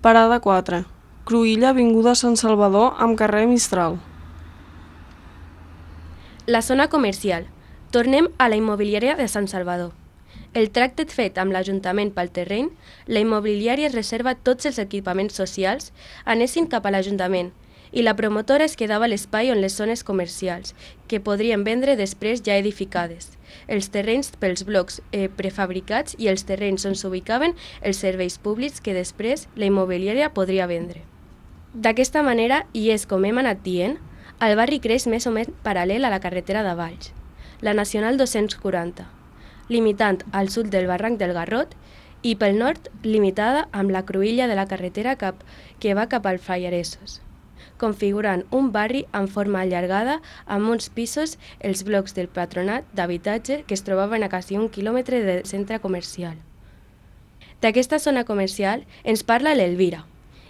Parada 4. Cruïlla, avinguda Sant Salvador amb carrer Mistral. La zona comercial. Tornem a la immobiliària de Sant Salvador. El tracte fet amb l'Ajuntament pel terreny, la immobiliària reserva tots els equipaments socials anessin cap a l'Ajuntament i la promotora es quedava a l'espai on les zones comercials, que podrien vendre després ja edificades, els terrenys pels blocs prefabricats i els terrenys on s'ubicaven els serveis públics que després la immobiliària podria vendre. D'aquesta manera, i és com hem anat dient, el barri creix més o menys paral·lel a la carretera de Valls, la Nacional 240, limitant al sud del barranc del Garrot i pel nord limitada amb la cruïlla de la carretera que va cap al Fallaresos, configurant un barri en forma allargada amb uns pisos els blocs del patronat d'habitatge que es trobaven a quasi 1 quilòmetre del centre comercial. D'aquesta zona comercial ens parla l'Elvira.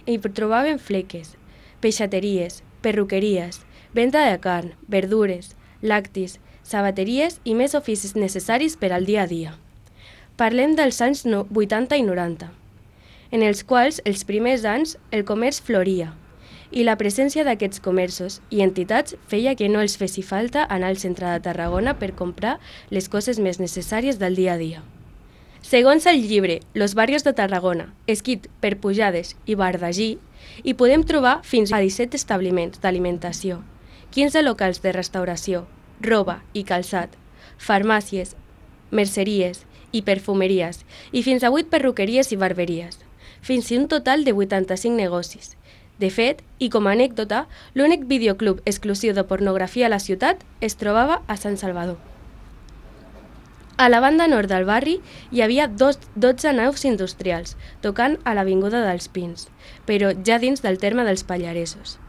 Hi trobàvem fleques, peixateries, perruqueries, venda de carn, verdures, lactis, sabateries i més oficis necessaris per al dia a dia. Parlem dels anys 80 i 90, en els quals els primers anys el comerç floria i la presència d'aquests comerços i entitats feia que no els fessi falta anar al centre de Tarragona per comprar les coses més necessàries del dia a dia. Segons el llibre Los barrios de Tarragona, escrit per Pujades i Bardagí, hi podem trobar fins a 17 establiments d'alimentació, 15 locals de restauració, roba i calçat, farmàcies, merceries i perfumeries, i fins a 8 perruqueries i barberies, fins a un total de 85 negocis. De fet, i com a anècdota, l'únic videoclub exclusiu de pornografia a la ciutat es trobava a Sant Salvador. A la banda nord del barri hi havia 12 naus industrials, tocant a l'Avinguda dels Pins, però ja dins del terme dels Pallaresos.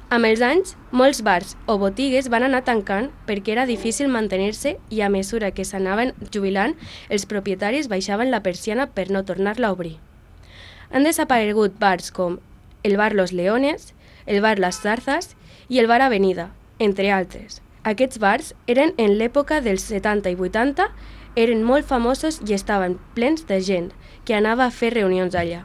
Amb els anys, molts bars o botigues van anar tancant perquè era difícil mantenir-se i a mesura que s'anaven jubilant, els propietaris baixaven la persiana per no tornar-la a obrir. Han desaparegut bars com el bar Los Leones, el bar Las Zarzas i el bar Avenida, entre altres. Aquests bars eren en l'època dels 70 i 80, eren molt famosos i estaven plens de gent que anava a fer reunions allà.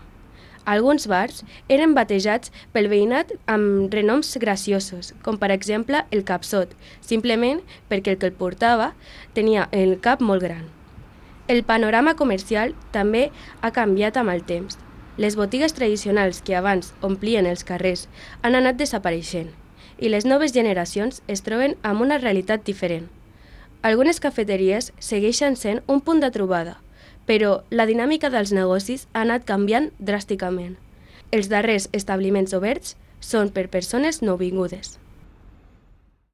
Alguns bars eren batejats pel veïnat amb renoms graciosos, com per exemple el Capsot, simplement perquè el que el portava tenia el cap molt gran. El panorama comercial també ha canviat amb el temps. Les botigues tradicionals que abans omplien els carrers han anat desapareixent i les noves generacions es troben amb una realitat diferent. Algunes cafeteries segueixen sent un punt de trobada, però la dinàmica dels negocis ha anat canviant dràsticament. Els darrers establiments oberts són per persones nouvingudes.